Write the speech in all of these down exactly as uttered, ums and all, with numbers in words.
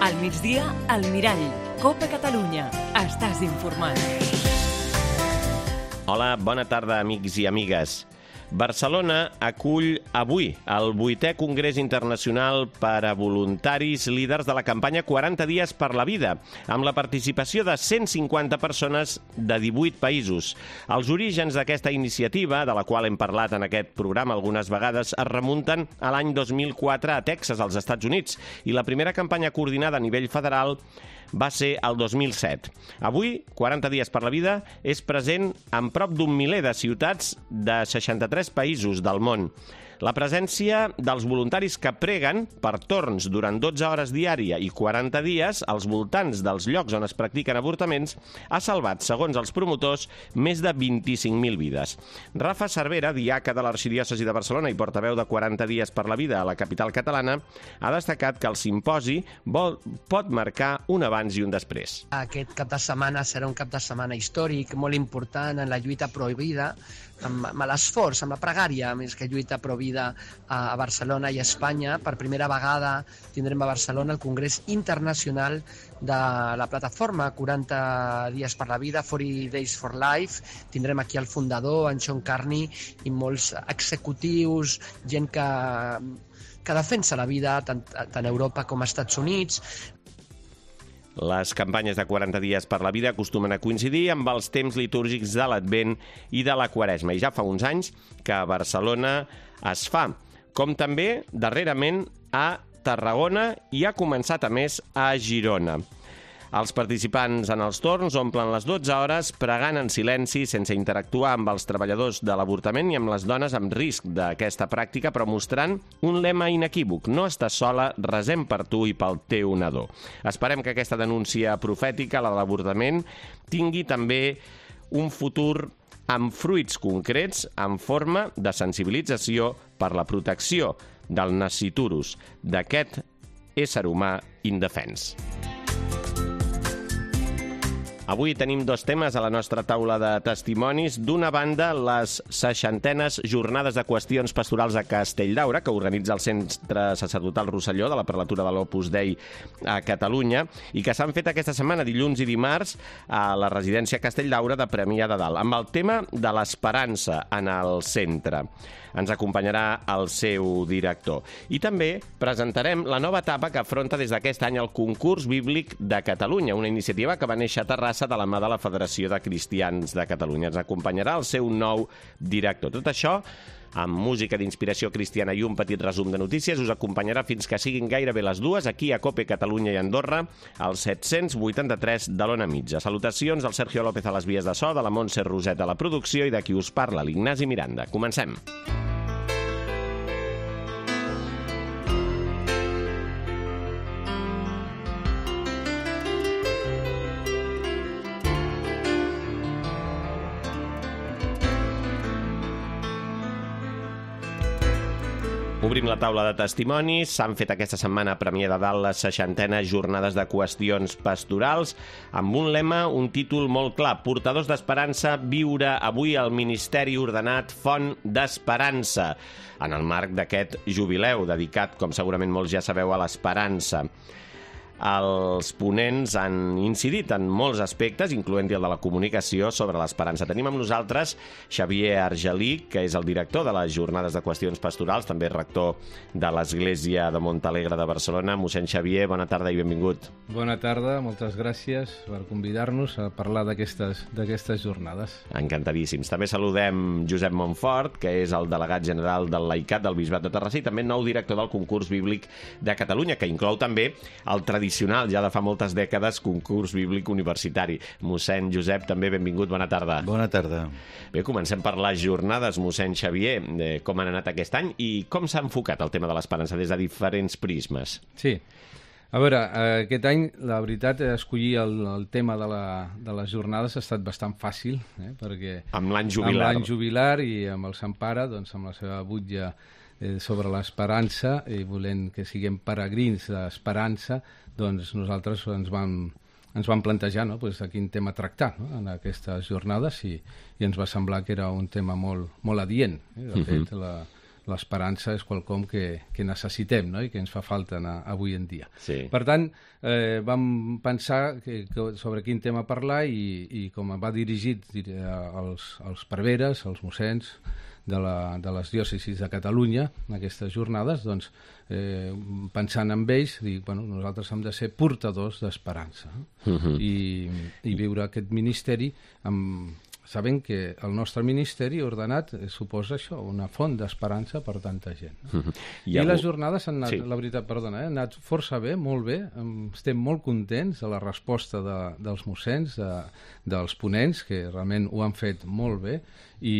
Al migdia, al Mirall. Copa Catalunya. Estàs informat. Hola, bona tarda, amics i amigues. Barcelona acull avui el vuitè Congrés Internacional per a Voluntaris Líders de la campanya quaranta dies per la vida, amb la participació de cent cinquanta persones de divuit països. Els orígens d'aquesta iniciativa, de la qual hem parlat en aquest programa algunes vegades, es remunten a l'any dos mil quatre a Texas, als Estats Units, i la primera campanya coordinada a nivell federal va ser el dos mil set. Avui, quaranta dies per la vida, és present en prop d'un miler de ciutats de seixanta-tres països del món. La presència dels voluntaris que preguen per torns durant dotze hores diària i quaranta dies als voltants dels llocs on es practiquen avortaments ha salvat, segons els promotors, més de vint-i-cinc mil vides. Rafa Cervera, diaca de l'Arxidiòcesi de Barcelona i portaveu de quaranta dies per la vida a la capital catalana, ha destacat que el simposi vol, pot marcar un abans i un després. Aquest cap de setmana serà un cap de setmana històric, molt important en la lluita prohibida, amb, amb l'esforç, amb la pregària, més que lluita prohibida a Barcelona i a Espanya. Per primera vegada tindrem a Barcelona el Congrés Internacional de la plataforma quaranta dies per la vida, quaranta days for life. Tindrem aquí el fundador, en Sean Carney, i molts executius, gent que, que defensa la vida tant, tant a Europa com als Estats Units. Les campanyes de quaranta dies per la vida acostumen a coincidir amb els temps litúrgics de l'Advent i de la Quaresma, i ja fa uns anys que a Barcelona es fa, com també darrerament a Tarragona i ha començat a més a Girona. Els participants en els torns omplen les dotze hores pregant en silenci, sense interactuar amb els treballadors de l'avortament i amb les dones amb risc d'aquesta pràctica, però mostrant un lema inequívoc: no estàs sola, resem per tu i pel teu nadó. Esperem que aquesta denúncia profètica, la de l'avortament, tingui també un futur amb fruits concrets en forma de sensibilització per la protecció del nasciturus, d'aquest ésser humà indefens. Avui tenim dos temes a la nostra taula de testimonis. D'una banda, les seixantenes jornades de qüestions pastorals a Castelldaura, que organitza el Centre Sacerdotal Rosselló de la Prelatura de l'Opus Dei a Catalunya, i que s'han fet aquesta setmana, dilluns i dimarts, a la residència Castelldaura de Premià de Dalt, amb el tema de l'esperança en el centre. Ens acompanyarà el seu director. I també presentarem la nova etapa que afronta des d'aquest any el Concurs Bíblic de Catalunya, una iniciativa que va néixer a Terrassa de la mà de la Federació de Cristians de Catalunya. Ens acompanyarà el seu nou director. Tot això amb música d'inspiració cristiana i un petit resum de notícies. Us acompanyarà fins que siguin gairebé les dues, aquí a Cope Catalunya i Andorra, al set-cents vuitanta-tres de l'Ona Mitja. Salutacions del Sergio López a les vies de so, de la Montse Roset a la producció i de qui us parla, l'Ignasi Miranda. Comencem. Obrim la taula de testimonis. S'han fet aquesta setmana a Premià de Dalt les seixantenes jornades de qüestions pastorals amb un lema, un títol molt clar: Portadors d'Esperança, viure avui el ministeri ordenat Font d'Esperança, en el marc d'aquest jubileu dedicat, com segurament molts ja sabeu, a l'esperança. Els ponents han incidit en molts aspectes, incloent-hi el de la comunicació, sobre l'esperança. Tenim amb nosaltres Xavier Argelí, que és el director de les Jornades de Qüestions Pastorals, també rector de l'Església de Montalegre de Barcelona. Mossèn Xavier, bona tarda i benvingut. Bona tarda, moltes gràcies per convidar-nos a parlar d'aquestes d'aquestes jornades. Encantadíssims. També saludem Josep Montfort, que és el delegat general del Laicat del Bisbat de Terrassa i també nou director del Concurs Bíblic de Catalunya, que inclou també el tradicional tradicional, ja de fa moltes dècades, concurs bíblic universitari. Mossèn Josep, també benvingut, bona tarda. Bona tarda. Bé, comencem per les jornades, mossèn Xavier. Eh, com han anat aquest any i com s'ha enfocat el tema de l'esperança des de diferents prismes? Sí. A veure, aquest any, la veritat, escollir el, el tema de, la, de les jornades ha estat bastant fàcil, eh? Perquè amb l'any jubilar. Amb l'any jubilar i amb el Sant Pare, doncs, amb la seva butlla eh, sobre l'esperança, i volent que siguem peregrins d'esperança, doncs nosaltres ens vam, ens vam plantejar, no?, pues, a quin tema tractar, no?, en aquestes jornades, i, i ens va semblar que era un tema molt, molt adient. Eh? De fet, la, l'esperança és quelcom que, que necessitem, no? I que ens fa falta a, avui en dia. Sí. Per tant, eh, vam pensar que, que sobre quin tema parlar i, i com va dirigit als, als preveres, als mossens de, la, de les diòcesis de Catalunya en aquestes jornades, doncs, eh, pensant en ells, dir, bueno, nosaltres hem de ser portadors d'esperança, no? Uh-huh. I, i viure aquest ministeri amb... sabent que el nostre ministeri ordenat suposa això, una font d'esperança per tanta gent. No? I, I les jornades han anat, sí. la veritat, perdona, eh, han anat força bé, molt bé, estem molt contents de la resposta de, dels mossens, de, dels ponents, que realment ho han fet molt bé, i,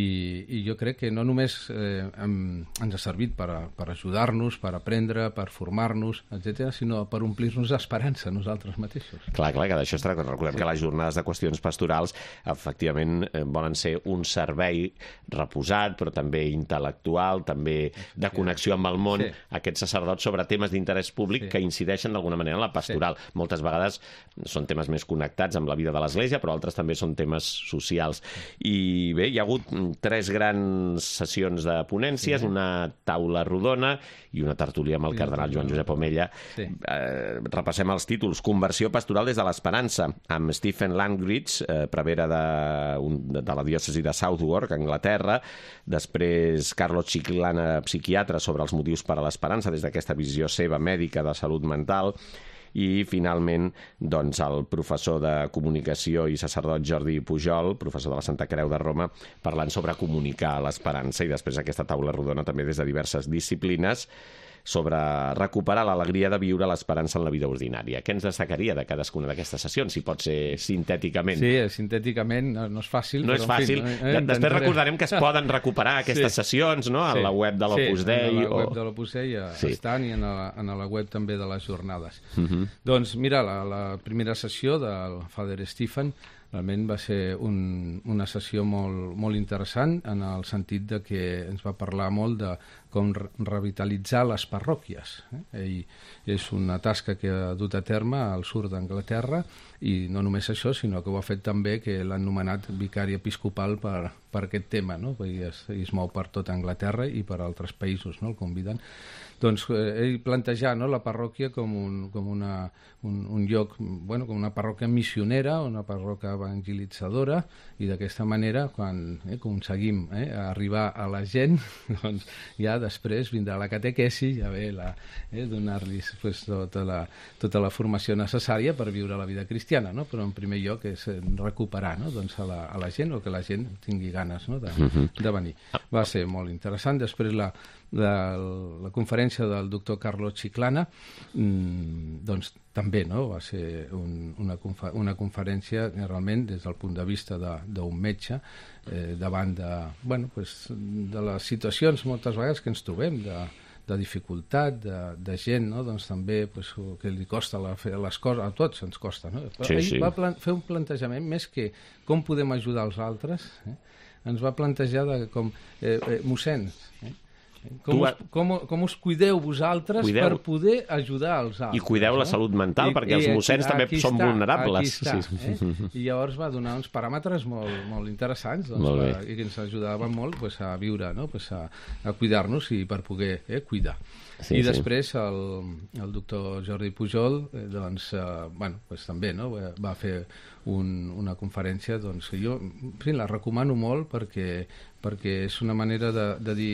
i jo crec que no només eh, hem, ens ha servit per, a, per ajudar-nos, per aprendre, per formar-nos, etcètera, sinó per omplir-nos d'esperança nosaltres mateixos. Clar, clar, que d'això es tracta. Recordem sí. que les jornades de qüestions pastorals, efectivament, volen ser un servei reposat, però també intel·lectual, també de connexió amb el món, sí. aquests sacerdots sobre temes d'interès públic sí. que incideixen d'alguna manera en la pastoral. Sí. Moltes vegades són temes més connectats amb la vida de l'Església, però altres també són temes socials. I bé, hi ha hagut tres grans sessions de ponències, sí. una taula rodona i una tertúlia amb el cardenal Joan Josep Omella. Sí. Eh, repassem els títols. Conversió pastoral des de l'esperança, amb Stephen Langridge, eh, prevere de, un, de la diòcesi de Southwark, Anglaterra. Després, Carlos Chiclana, psiquiatre, sobre els motius per a l'esperança, des d'aquesta visió seva mèdica de salut mental. I, finalment, doncs, el professor de comunicació i sacerdot Jordi Pujol, professor de la Santa Creu de Roma, parlant sobre comunicar l'esperança, i després aquesta taula rodona també des de diverses disciplines sobre recuperar l'alegria de viure l'esperança en la vida ordinària. Què ens destacaria de cadascuna d'aquestes sessions, si pot ser sintèticament? Sí, sintèticament no, no és fàcil. No és fàcil. Fi, no, eh, Després recordarem que es poden recuperar aquestes sí. sessions, no?, a sí. la web de l'Opus Dei. Sí, a la o... web de l'Opus Dei sí. estan, i a la, a la web també de les jornades. Uh-huh. Doncs mira, la, la primera sessió del Father Stephen realment va ser un, una sessió molt, molt interessant, en el sentit de que ens va parlar molt de com revitalitzar les parròquies. Eh? Ell és una tasca que ha dut a terme al sud d'Anglaterra, i no només això, sinó que ho ha fet també, que l'han nomenat vicari episcopal per, per aquest tema, no? I es, es mou per tota Anglaterra i per altres països, no? El conviden. Doncs eh, ell plantejar, no, la parròquia com un, com una, un, un lloc, bueno, com una parròquia missionera, una parròquia evangelitzadora, i d'aquesta manera, quan eh, aconseguim eh, arribar a la gent, doncs ja després vindrà la catequesi, ja ve la, eh, donar-los pues, tota, la, tota la formació necessària per viure la vida cristiana, no? Però en primer lloc és recuperar, no? Doncs a, la, a la gent, o que la gent tingui ganes, no? de, de venir. Va ser molt interessant. Després la, la, la conferència del doctor Carlos Chiclana, mmm, doncs també, no? Va ser un, una, confer una conferència realment des del punt de vista d'un metge, eh, davant de, bueno, pues, de les situacions moltes vegades que ens trobem, de, de dificultat, de, de gent, no? Doncs també pues, que li costa la, fer les coses, a tots ens costa, no? Però sí, ell sí. va fer un plantejament més que com podem ajudar els altres, eh? Ens va plantejar de com, eh, eh, mossens, eh? Com us, com, com us cuideu vosaltres cuideu. per poder ajudar els altres. I cuideu no? la salut mental, I, perquè i els mossens també són està, vulnerables. Aquí està, sí. eh? I llavors va donar uns paràmetres molt, molt interessants, doncs, molt per, i que ens ajudaven molt pues, a viure, no? pues, a, a cuidar-nos i per poder eh, cuidar. Sí, I sí. després el, el doctor Jordi Pujol eh, doncs, eh, bueno, pues, també no? va fer un, una conferència doncs, que jo en fi, la recomano molt perquè, perquè és una manera de, de dir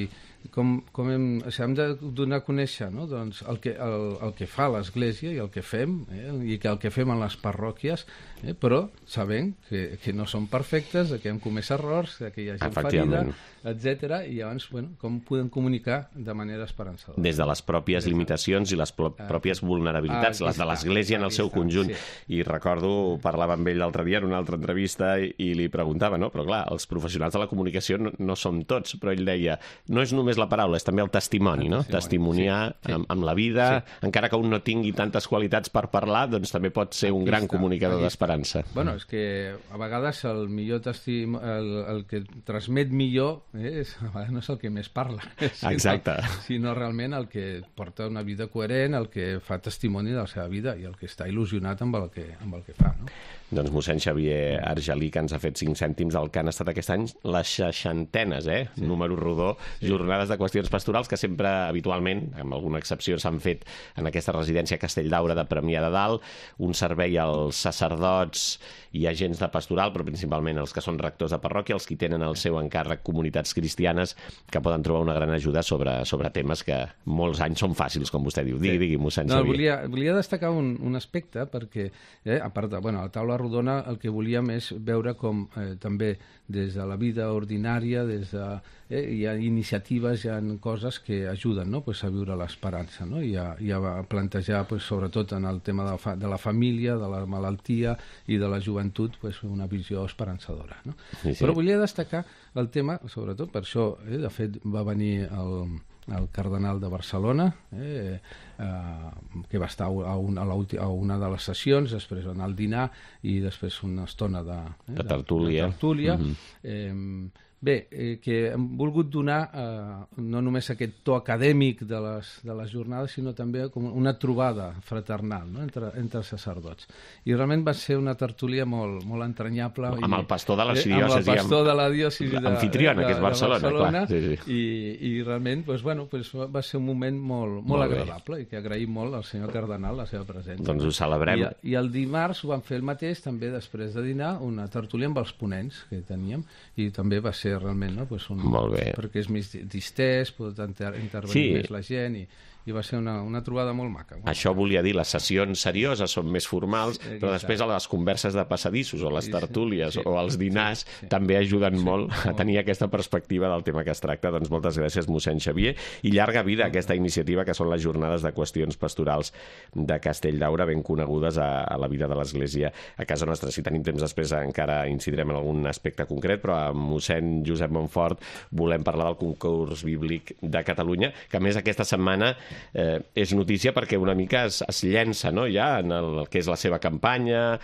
com, com hem, o sigui, hem de donar a conèixer no? doncs el, que, el, el que fa l'Església i el que fem eh? i que el que fem en les parròquies, eh? però sabent que, que no som perfectes, que hem comès errors, que hi ha gent ferida, etcètera. I llavors, bueno, com podem comunicar de manera esperançadora. Des de les pròpies limitacions i les pròpies vulnerabilitats, ah, les de l'Església en el seu conjunt. Sí. I recordo, parlava amb ell l'altre dia en una altra entrevista i, i li preguntava, no? Però clar, els professionals de la comunicació no, no som tots, però ell deia, no és només la paraula, és també el testimoni, el no? Testimoni. Testimoniar sí, sí. Amb, amb la vida, sí. encara que un no tingui tantes qualitats per parlar, doncs també pot ser un aquí gran està, comunicador d'esperança. Bueno, és que a vegades el millor testim... el, el que transmet millor eh, és, a vegades no és el que més parla, sinó, Exacte. sinó realment el que porta una vida coherent, el que fa testimoni de la seva vida i el que està il·lusionat amb el que, amb el que fa, no? Doncs mossèn Xavier Argelí, que ens ha fet cinc cèntims del que han estat aquest any les seixantenes, eh? Sí. Número rodó, sí. Jornades de qüestions pastorals que sempre, habitualment, amb alguna excepció, s'han fet en aquesta residència Castelldaura de Premià de Dalt, un servei als sacerdots i agents de pastoral, però principalment els que són rectors de parròquia, els que tenen el seu encàrrec comunitats cristianes, que poden trobar una gran ajuda sobre, sobre temes que molts anys són fàcils, com vostè diu. Digui, digui, mossèn no, Xavier. Volia, volia destacar un, un aspecte, perquè, eh, a part de, bueno, la taula rodona, el que volíem és veure com eh, també des de la vida ordinària, des de, eh, hi ha iniciatives, hi ha coses que ajuden, no? Pues a viure l'esperança, no? I, a, i a plantejar, pues, sobretot en el tema de la, fa, de la família, de la malaltia i de la joventut, pues, una visió esperançadora, no? Sí, sí. Però volia destacar el tema, sobretot per això, eh, de fet va venir el... el cardenal de Barcelona, eh, eh, que va estar a una, a una de les sessions, després va anar al dinar i després una estona de, eh, de tertúlia. De, de tertúlia. Mm-hmm. eh, bé, eh, que hem volgut donar eh, no només aquest to acadèmic de les, de les jornades, sinó també com una trobada fraternal, no? entre, entre sacerdots. I realment va ser una tertúlia molt, molt entranyable. Amb i, el pastor de la diòcesi. Eh, amb el pastor de la diòcesi de, anfitriona, que és Barcelona, de Barcelona, clar. Sí, sí. I, i realment pues, bueno, pues, va ser un moment molt, molt, molt agradable i que agraïm molt al senyor cardenal la seva presència. Doncs ho celebrem. I, i el dimarts ho vam fer el mateix, també després de dinar, una tertúlia amb els ponents que teníem, i també va ser realment, no? Pues un, molt bé. Perquè és més distès, pot inter intervenir sí. més la gent i, i va ser una, una trobada molt maca. Això volia dir, les sessions serioses són més formals, sí, però després a les converses de passadissos o les tertúlies sí, sí. o els dinars sí, sí. també ajuden sí, molt a tenir aquesta perspectiva del tema que es tracta. Doncs moltes gràcies, mossèn Xavier, i llarga vida a aquesta iniciativa que són les jornades de qüestions pastorals de Castelldaura, ben conegudes a, a la vida de l'Església a casa nostra. Si tenim temps després encara incidirem en algun aspecte concret, però amb mossèn Josep Montfort volem parlar del concurs bíblic de Catalunya, que a més aquesta setmana Eh, és notícia perquè una mica es, es llença, no? Ja en el, el que és la seva campanya.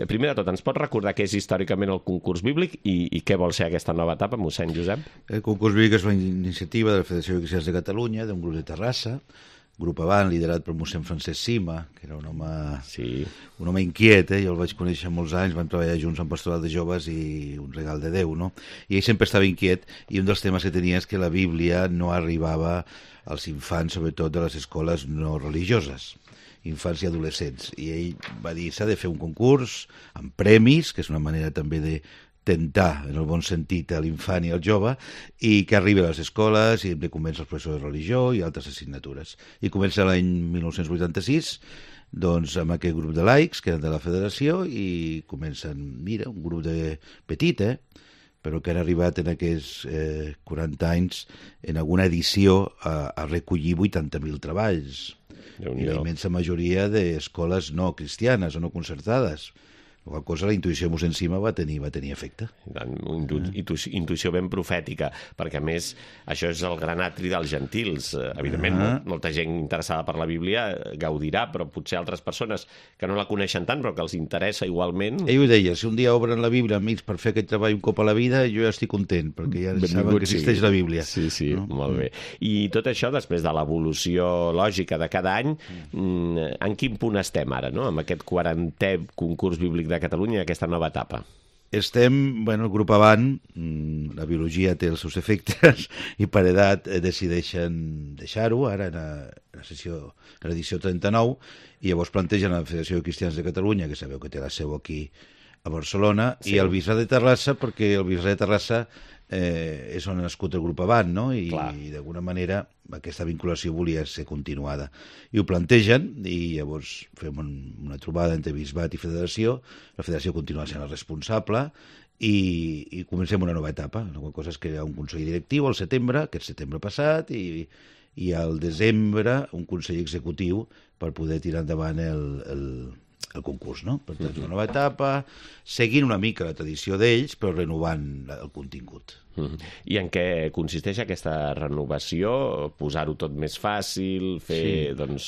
Primer de tot, ens pot recordar què és històricament el concurs bíblic i, i què vol ser aquesta nova etapa, mossèn Josep? El concurs bíblic és una iniciativa de la Federació de Cristians de Catalunya, d'un grup de Terrassa, grup avant, liderat per mossèn Francesc Sima, que era un home, sí. un home inquiet, eh? Jo el vaig conèixer molts anys, vam treballar junts en Pastoral de Joves i un regal de Déu, no? I ell sempre estava inquiet, i un dels temes que tenia és que la Bíblia no arribava als infants, sobretot de les escoles no religioses, infants i adolescents. I ell va dir, s'ha de fer un concurs amb premis, que és una manera també de tentar, en el bon sentit, a l'infant i al jove, i que arribi a les escoles i hem de convèncer els professors de religió i altres assignatures. I comença l'any mil nou-cents vuitanta-sis, doncs, amb aquest grup de laics, que eren de la federació, i comencen, mira, un grup de petit, eh?, però que han arribat en aquests eh, quaranta anys en alguna edició a, a recollir vuitanta mil treballs. I la immensa majoria d'escoles no cristianes o no concertades. La qual cosa, la intuïció mossèn Sima va tenir, va tenir efecte. Intu intu intuïció ben profètica, perquè a més això és el gran atri dels gentils. Evidentment, ah. molta gent interessada per la Bíblia gaudirà, però potser altres persones que no la coneixen tant, però que els interessa igualment... Ell ho deia, si un dia obren la Bíblia amics per fer aquest treball un cop a la vida, jo ja estic content, perquè ja saben que existeix la Bíblia. Sí, sí, no? Molt bé. I tot això, després de l'evolució lògica de cada any, en quin punt estem ara, no?, amb aquest quarantè concurs bíblic de Catalunya, aquesta nova etapa? Estem, bueno, el grup avant, la biologia té els seus efectes i per edat decideixen deixar-ho, ara en la sessió, en l'edició trenta-nou, i llavors plantegen a la Federació de Cristians de Catalunya, que sabeu que té la seu aquí a Barcelona, sí. i el bisbe de Terrassa, perquè el bisbe de Terrassa eh, és on ha nascut el grup avant, no? I, i d'alguna manera aquesta vinculació volia ser continuada. I ho plantegen, i llavors fem un, una trobada entre bisbat i federació, la federació continua sent el responsable, i, i comencem una nova etapa. La qual cosa és crear un consell directiu al setembre, aquest setembre passat, i, i al desembre un consell executiu per poder tirar endavant el, el, el concurs, no? Per tant, una nova etapa, seguint una mica la tradició d'ells, però renovant el contingut. Mm. I en què consisteix aquesta renovació? Posar-ho tot més fàcil, fer sí. doncs,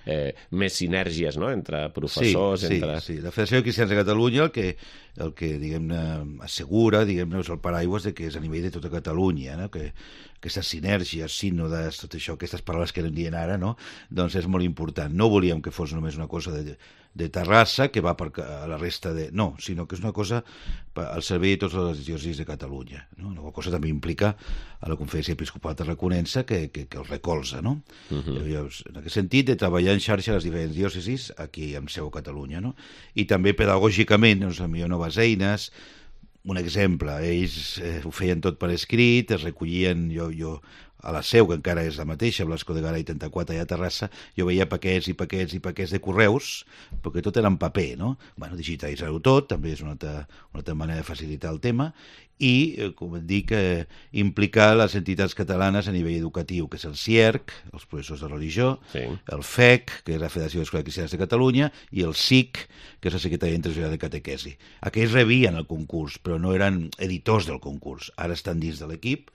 eh, més sinergies, no?, entre professors... Sí, entre... sí, sí. La Federació de Cristians de Catalunya el que, el que diguem-ne, assegura, diguem-ne, és el paraigües de que és a nivell de tota Catalunya, no?, que, aquestes sinergies, sínodes, tot això, aquestes paraules que anem dient ara, no? Doncs és molt important. No volíem que fos només una cosa de, de Terrassa que va per a la resta de... No, sinó que és una cosa al servei de totes les diòcesis de Catalunya, no? Una cosa també implica a la Conferència Episcopal Tarraconense que, que, que el recolza, no? Uh-huh. En aquest sentit, de treballar en xarxa a les diferents diòcesis aquí amb seu a Catalunya, no? I també pedagògicament, doncs, millor noves eines. Un exemple, ells eh, ho feien tot per escrit, es recollien, jo, jo a la seu, que encara és la mateixa, Blasco de Garay trenta-quatre, allà a Terrassa, jo veia paquets i paquets i paquets de correus, perquè tot era en paper, no? Bueno, digitalitzar-ho tot, també és una altra, una altra manera de facilitar el tema, i, eh, com dic, eh, implicar les entitats catalanes a nivell educatiu, que és el C I E R C, els professors de religió, sí. El F E C, que és la Federació d'Escoles Cristianes de Catalunya, i el S I C, que és la Secretaria Internacional de Catequesi. Aquells rebien el concurs, però no eren editors del concurs. Ara estan dins de l'equip.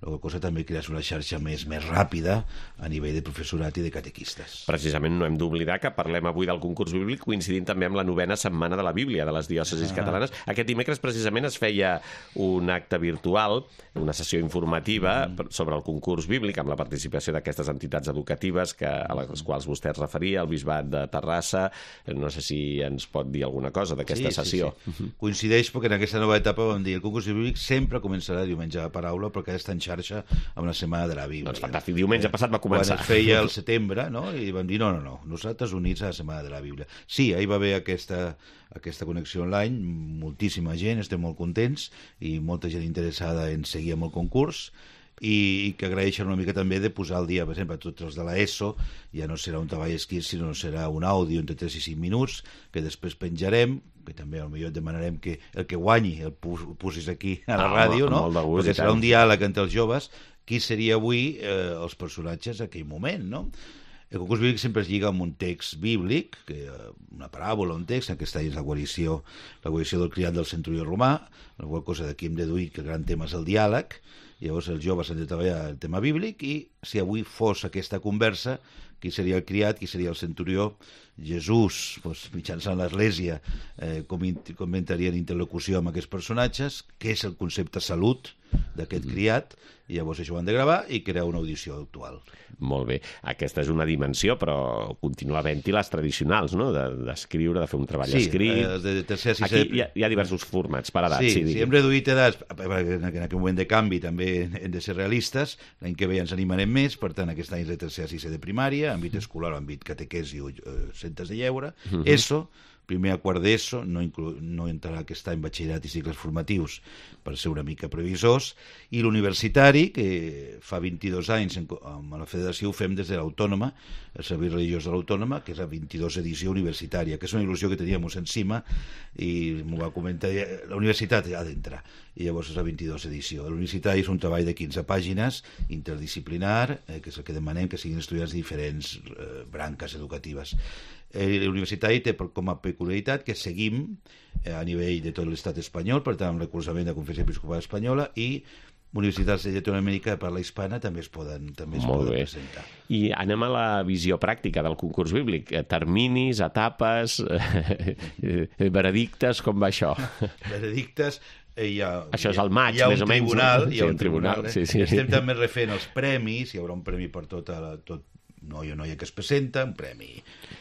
La cosa també crear una xarxa més, més ràpida a nivell de professorat i de catequistes. Precisament no hem d'oblidar que parlem avui del concurs bíblic coincidint també amb la novena setmana de la Bíblia de les diòcesis ah. catalanes. Aquest dimecres precisament es feia un acte virtual, una sessió informativa mm. sobre el concurs bíblic amb la participació d'aquestes entitats educatives que, a les quals vostè es referia, el Bisbat de Terrassa. No sé si ens pot dir alguna cosa d'aquesta sí, sessió. Sí, sí. Coincideix perquè en aquesta nova etapa vam dir el concurs bíblic sempre començarà diumenge a paraula perquè està en xarxa amb la Setmana de la Bíblia. Doncs fantàstic, diumenge passat va començar. Quan es feia el setembre, no? I vam dir, no, no, no, nosaltres units a la Setmana de la Bíblia. Sí, ahir va haver aquesta, aquesta connexió online, moltíssima gent, estem molt contents, i molta gent interessada en seguir amb el concurs, i, i que agraeixen una mica també de posar al dia, per exemple, a tots els de l'ESO, ja no serà un treball escrit, sinó serà un àudio entre tres i cinc minuts, que després penjarem, que també potser et demanarem que el que guanyi el posis aquí a la ah, ràdio, no? Gust, perquè serà un diàleg entre els joves, qui seria avui eh, els personatges d'aquell moment, no? El concurs bíblic sempre es lliga amb un text bíblic, que, una paràbola, un text, en aquesta és la guarició, la guarició del criat del centurió romà, la qual cosa d'aquí hem deduït que el gran tema és el diàleg, i llavors els joves han de treballar el tema bíblic, i si avui fos aquesta conversa, qui seria el criat, qui seria el centurió, Jesús, doncs, mitjançant l'Església, eh, com, com entraria en interlocució amb aquests personatges, què és el concepte salut d'aquest criat, i llavors això ho han de gravar i crear una audició actual. Molt bé. Aquesta és una dimensió, però continua havent-hi les tradicionals, no? D'escriure, de, de fer un treball sí, escrit. Eh, de tercer a sisè... Aquí hi ha, hi ha diversos formats per edat. Sí, sí, sí, hem reduït edats, en aquest moment de canvi també hem de ser realistes, l'any que ve ja ens animarem més, per tant aquest any és de tercer a sisè de primària, àmbit escolar, àmbit catequesi o eh, centres de lleure, uh-huh. ESO, primer a quart d'ESO, no, inclu... no entrarà aquest any batxillerat i cicles formatius per ser una mica previsors, i l'universitari, que fa vint-i-dos anys amb la federació ho fem des de l'Autònoma, el Servei Religiós de l'Autònoma, que és la vint-i-dos edició universitària, que és una il·lusió que teníem encima, i m'ho va comentar, la universitat ha d'entrar, i llavors és la vint-i-dos edició. L'universitari és un treball de quinze pàgines, interdisciplinar, eh, que és el que demanem, que siguin estudiants de diferents eh, branques educatives. L'universitari té com a peculiaritat que seguim a nivell de tot l'estat espanyol, per tant, amb recolzament de la Conferència Episcopal Espanyola, i universitats de Llatinoamèrica de parla hispana també es poden, també es poden presentar. I anem a la visió pràctica del concurs bíblic. Terminis, etapes, veredictes, com va això? Veredictes... Hi ha, això és el maig, hi ha més o menys. Tribunal, no? Hi ha sí, un tribunal. Eh? Sí, sí. Estem també refent els premis, hi haurà un premi per tota la... Tot, noi o noia que es presenta, un premi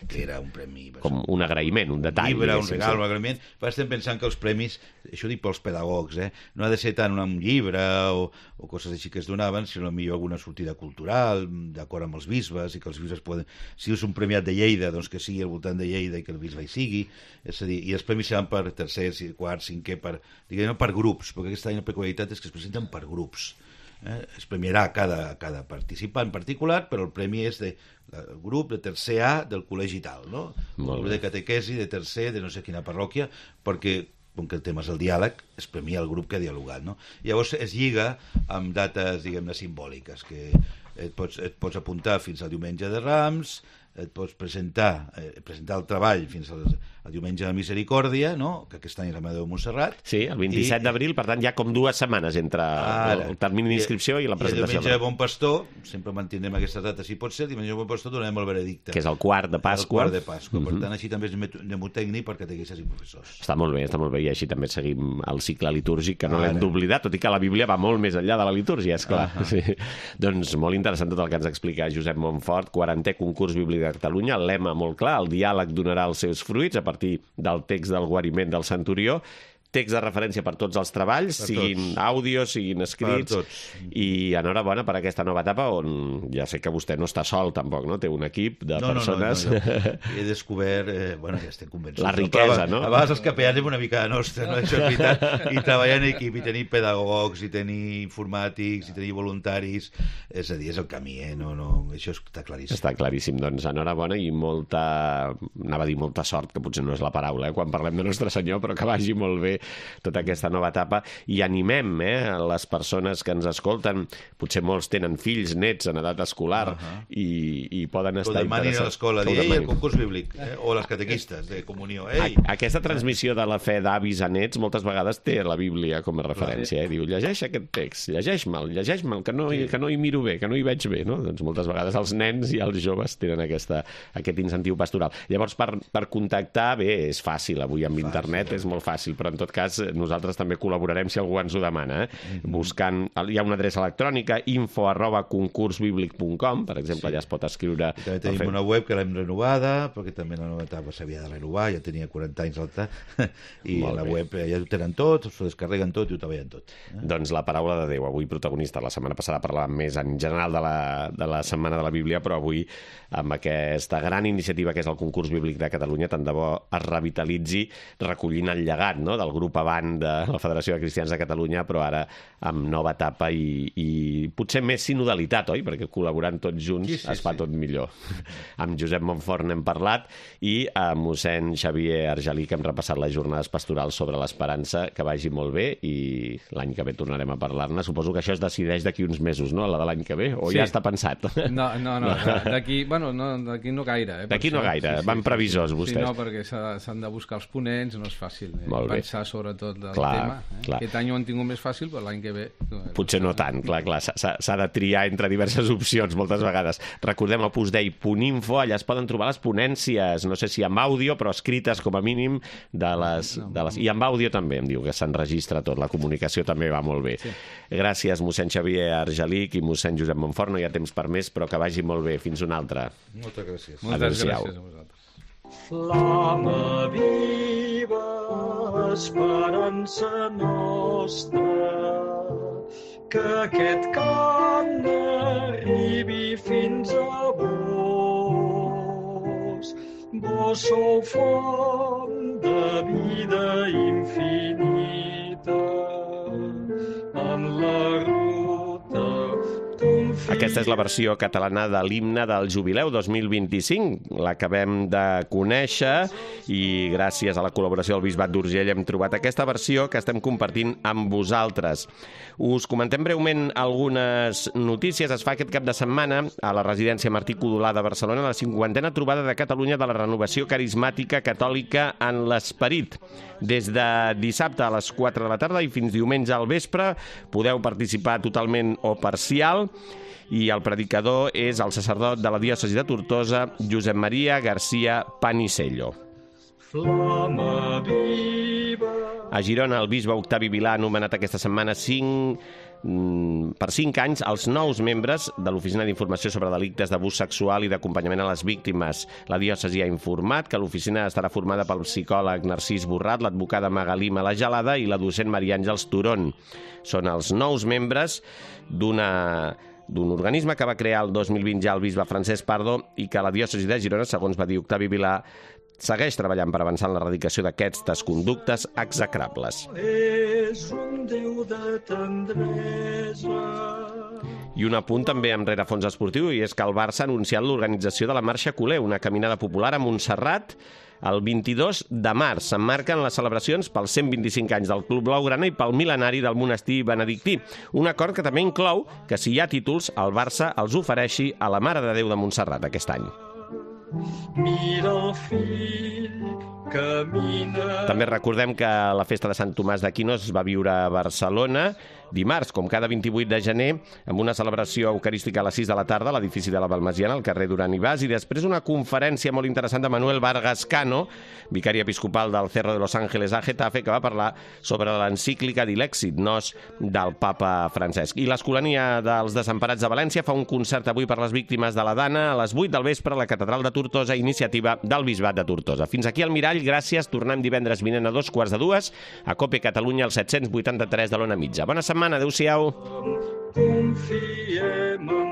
que era un premi... Com un agraïment, un detall. Un llibre, un regal, un agraïment. Però estem pensant que els premis, això dic pels pedagogs, eh? No ha de ser tant un llibre o, o coses així que es donaven, sinó millor alguna sortida cultural, d'acord amb els bisbes, i que els bisbes poden... Si és un premiat de Lleida, doncs que sigui al voltant de Lleida i que el bisbe hi sigui. És a dir, i els premis seran per tercer, quart, cinquè, per, diguem, per grups, perquè aquesta any la peculiaritat és que es presenten per grups. Eh? Es premiarà cada, cada participant particular, però el premi és de el grup de tercer A del col·legi tal, no? El grup de catequesi de tercer de no sé quina parròquia, perquè com que el tema és el diàleg, es premia el grup que ha dialogat, no? Llavors es lliga amb dates, diguem-ne, simbòliques, que et pots, et pots apuntar fins al diumenge de Rams, et pots presentar, eh, presentar el treball fins al, al diumenge de Misericòrdia, no? Que aquest any és la Mare de Déu de Montserrat. Sí, el vint-i-set d'abril, per tant, hi ha com dues setmanes entre ara, el termini d'inscripció i, i la presentació. I el diumenge de Bon Pastor, sempre mantindrem aquesta data si pot ser, el diumenge de Bon Pastor donarem el veredicte. Que és el quart de Pasqua. El quart de Pasqua, uh-huh. Per tant, així també és mnemotècnic per catequistes i professors. Està molt bé, està molt bé, i així també seguim el cicle litúrgic, que no l'hem d'oblidar, tot i que la Bíblia va molt més enllà de la litúrgia, esclar. Uh-huh. Sí. Doncs molt interessant tot el que ens explica Josep Montfort, quarantè concurs bíblic de Catalunya, el lema molt clar, el diàleg donarà els seus fruits a partir del text del guariment del centurió, text de referència per tots els treballs, per siguin tots. Àudios, siguin escrits, i enhorabona per aquesta nova etapa on ja sé que vostè no està sol tampoc, no? Té un equip de no, persones... No, no, no, no. He descobert, eh, bueno, ja estem convençuts. La riquesa, no? A vegades els capeans és una mica de nostra, no? Això és veritat. I treballar en equip, i tenir pedagogs, i tenir informàtics, i tenir voluntaris, és a dir, és el camí, eh? No, no, això està claríssim. Està claríssim, doncs enhorabona i molta, anava a dir molta sort, que potser no és la paraula, eh? Quan parlem de Nostre Senyor, però que vagi molt bé tota aquesta nova etapa, i animem eh, les persones que ens escolten, potser molts tenen fills, nets en edat escolar, uh-huh. i, i poden estar interessats. Que demanin a l'escola, dir, ei, el concurs bíblic, eh? O les catequistes de comunió, ei. Aquesta transmissió de la fe d'avis a nets moltes vegades té la Bíblia com a referència, eh? Diu, llegeix aquest text, llegeix-me'l, llegeix-me'l, que, no, sí. que no hi miro bé, que no hi veig bé, no? Doncs moltes vegades els nens i els joves tenen aquesta, aquest incentiu pastoral. Llavors, per, per contactar, bé, és fàcil, avui amb fàcil, internet és molt fàcil, però en tot cas nosaltres també col·laborarem si algú ens ho demana, eh? Mm-hmm. Buscant, hi ha una adreça electrònica, info arroba concursbiblic punt com, per exemple, sí. Ja es pot escriure... I també tenim una web que l'hem renovada, perquè també la nova etapa s'havia de renovar, ja tenia quaranta anys l'altra, i a la bé. Web ja ho tenen tot, s'ho descarreguen tot i ho treballen tot. Eh? Doncs la paraula de Déu, avui protagonista. La setmana passada parlàvem més en general de la, de la Setmana de la Bíblia, però avui amb aquesta gran iniciativa que és el concurs bíblic de Catalunya, tant de bo es revitalitzi recollint el llegat, no?, del grup Avant de la Federació de Cristians de Catalunya, però ara amb nova etapa i, i potser més sinodalitat, oi? Perquè col·laborant tots junts sí, sí, es fa sí. Tot millor. Amb Josep Montfort n'hem parlat i amb mossèn Xavier Argelí, que hem repassat les jornades pastorals sobre l'esperança, que vagi molt bé, i l'any que ve tornarem a parlar-ne. Suposo que això es decideix d'aquí uns mesos, no?, la de l'any que ve, o sí. Ja està pensat? No, no, no, d'aquí bueno, no, d'aquí no gaire. Eh, d'aquí no gaire, sí, sí, van previsors vostès. Sí, no, perquè s'han de buscar els ponents, no és fàcil eh, pensar sobretot del clar, tema. Eh? Clar. Aquest any ho han tingut més fàcil, però l'any que ve... No, potser no tant, clar, clar, s'ha de triar entre diverses opcions moltes vegades. Recordem el postdei punt info, allà es poden trobar les ponències, no sé si amb àudio, però escrites com a mínim, de les, de les... i amb àudio també, em diu que s'enregistra tot, la comunicació també va molt bé. Sí. Gràcies, mossèn Xavier Argelic i mossèn Josep Montfort, no hi ha temps per més, però que vagi molt bé. Fins una altra. Moltes gràcies. Moltes gràcies a vosaltres. Flama viva, esperança nostra, que aquest cant arribi fins a vos. Vos sou font de vida infinita, en la ruta d'un fill. Aquesta és la versió catalana de l'himne del Jubileu dos mil vint-i-cinc. L'acabem de conèixer i gràcies a la col·laboració del Bisbat d'Urgell hem trobat aquesta versió que estem compartint amb vosaltres. Us comentem breument algunes notícies. Es fa aquest cap de setmana a la residència Martí Codolà de Barcelona la cinquantena trobada de Catalunya de la renovació carismàtica catòlica en l'esperit. Des de dissabte a les quatre de la tarda i fins diumenge al vespre podeu participar totalment o parcial, i el predicador és el sacerdot de la diòcesi de Tortosa, Josep Maria García Panisello. Flama viva. A Girona, el bisbe Octavi Vilà ha nomenat aquesta setmana cinc, per cinc anys els nous membres de l'Oficina d'Informació sobre Delictes d'Abús Sexual i d'Acompanyament a les Víctimes. La diòcesi ha informat que l'oficina estarà formada pel psicòleg Narcís Borrat, l'advocada Magalí Malagelada i la docent Maria Àngels Turón. Són els nous membres d'una... d'un organisme que va crear el dos mil vint ja el bisbe Francesc Pardo i que la diòcesi de Girona, segons va dir Octavi Vilà, segueix treballant per avançar en l'erradicació d'aquestes conductes execrables. És un Déu de tendresa. I un apunt també amb rerefons esportiu, i és que el Barça ha anunciat l'organització de la Marxa Culer, una caminada popular a Montserrat, el vint-i-dos de març. S'emmarquen les celebracions pels cent vint-i-cinc anys del Club Blaugrana i pel mil·lenari del monestir benedictí. Un acord que també inclou que si hi ha títols, el Barça els ofereixi a la Mare de Déu de Montserrat aquest any. mira el fill, camina... També recordem que la festa de Sant Tomàs d'Aquino es va viure a Barcelona dimarts, com cada vint-i-vuit de gener, amb una celebració eucarística a les sis de la tarda a l'edifici de la Balmesiana, al carrer Duran i Bas, i després una conferència molt interessant de Manuel Vargas Cano, vicari episcopal del Cerro de los Ángeles a Getafe, que va parlar sobre l'encíclica Dilexit Nos del papa Francesc. I l'Escolania dels Desemparats de València fa un concert avui per les víctimes de la Dana a les vuit del vespre a la Catedral de Tortosa, iniciativa del Bisbat de Tortosa. Fins aquí el Mirall, gràcies. Tornem divendres vinent a dos quarts de dues a Cope Catalunya, al set-cents vuitanta-tres de l'Ona Mitja. Bona setmana, adeu-siau. Confiem en